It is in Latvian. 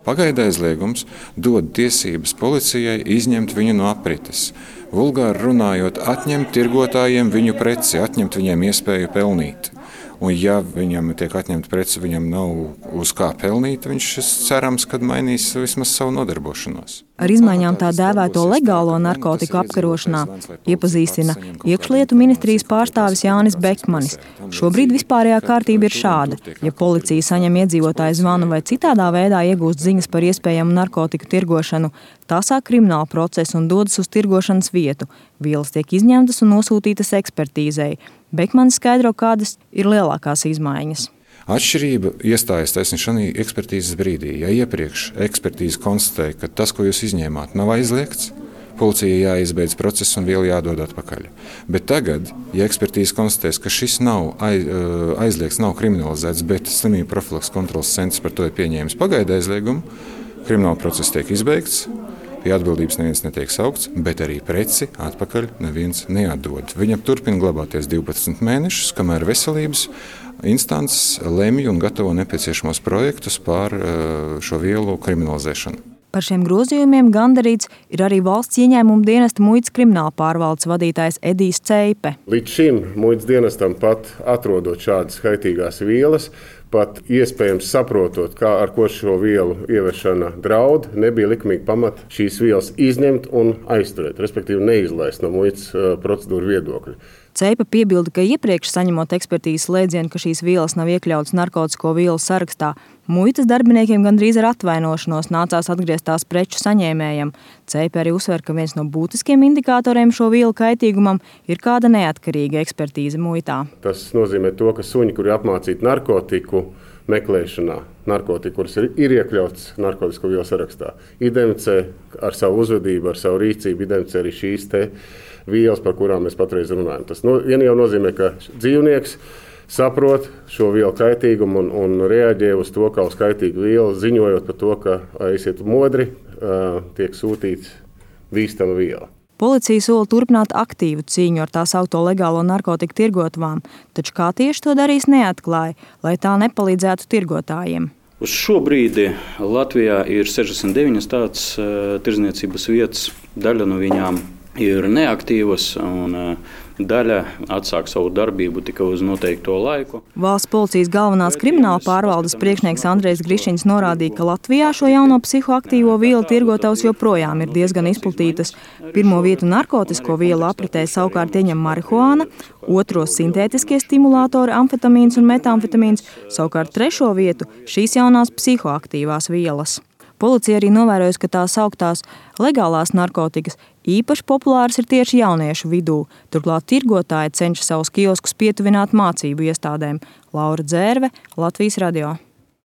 Pagaidu aizliegums dod tiesības policijai izņemt viņu no aprites. Vulgāri runājot, atņemt tirgotājiem viņu preci, atņemt viņiem iespēju pelnīt. Un ja viņam tiek atņemta preci, viņam nav uz kā pelnīt, viņš cerams, kad mainīs vismaz savu nodarbošanos. Ar izmaiņām tā dēvēto legālo narkotiku apkarošanā iepazīstina Iekšlietu ministrijas pārstāvis Jānis Bekmanis. Šobrīd vispārējā kārtība ir šāda. Ja policija saņem iedzīvotāju zvanu vai citādā veidā iegūst ziņas par iespējamu narkotiku tirgošanu, tā sāk kriminālu procesu un dodas uz tirgošanas vietu. Vielas tiek izņemtas un nosūtītas ekspertīzei. Bekmanis skaidro, kādas ir lielākās izmaiņas. Atšķirība iestājas taisni šajā ekspertīzes brīdī. Ja iepriekš ekspertīze konstatēja, ka tas, ko jūs izņēmāt, nav aizliegts, policijai jāizbeidz process un viela jādod atpakaļ. Bet tagad, ja ekspertīze konstatēs, ka šis nav aizliegts, nav kriminalizēts, bet slimību profilakses kontroles centrs par to ir pieņēmis pagaidu aizliegumu, krimināla process tiek izbeigts, pie atbildības neviens netiek saukts, bet arī preci atpakaļ neviens neatdod. Viņam turpina glabāties 12 mēnešus, kamēr veselības instances lemj un gatavo nepieciešamos projektus par šo vielu kriminalizēšanu. Par šiem grozījumiem gandarīts ir arī valsts ieņēmuma dienesta muitas krimināla pārvaldes vadītājs Edijs Ceipe. Līdz šim muitas dienestam pat atrodot šādas kaitīgās vielas, pat iespējams saprotot, ar ko šo vielu ieviešana draud, nebija likumīgi pamata šīs vielas izņemt un aizturēt, respektīvi neizlaist no muitas procedūru viedokļa. Ceipa piebilda, ka iepriekš saņemot ekspertīzes slēdzienu, ka šīs vielas nav iekļautas narkotisko vielu sarakstā, muitas darbiniekiem gandrīz ar atvainošanos nācās atgriezt tās preču saņēmējam. Ceipa arī uzsver, ka viens no būtiskiem indikatoriem šo vielu kaitīgumam ir kāda neatkarīga ekspertīze muitā. Tas nozīmē to, ka suņi, kuri apmācīti narkotiku meklēšanā, narkotiku, kuras ir iekļauts narkotisko vielu sarakstā, identificē ar savu uzvedību, ar savu rīcību, identificē arī šīs vielas, par kurām mēs patreiz runājam. Tas jau nozīmē, ka dzīvnieks saprot šo vielu kaitīgumu un reaģē uz to, kā uz kaitīgu vielu, ziņojot par to, ka esiet modri, tiek sūtīts bīstama viela. Policija sola turpināt aktīvu cīņu ar tā saukto legālo narkotiku tirgotavām, taču kā tieši to darīs neatklāja, lai tā nepalīdzētu tirgotājiem. Uz šo brīdi Latvijā ir 69 tādas tirdzniecības vietas, daļa no viņām ir neaktīvas un daļa atsāk savu darbību tikai uz noteikto laiku. Valsts policijas galvenās krimināla pārvaldes priekšnieks Andrejs Grišņins norādīja, ka Latvijā šo jauno psihoaktīvo vielu tirgotavas joprojām ir diezgan izplatītas. Pirmo vietu narkotisko vielu apritē savukārt ieņem marihuāna, otro sintētiskie stimulātori amfetamīns un metamfetamīns, savukārt trešo vietu šīs jaunās psihoaktīvās vielas. Policija arī novērojusi, ka tās sauktās legālās narkotikas īpaši populāras ir tieši jauniešu vidū. Turklāt tirgotāji cenšas savus kioskus pietuvināt mācību iestādēm. Laura Dzērve, Latvijas radio.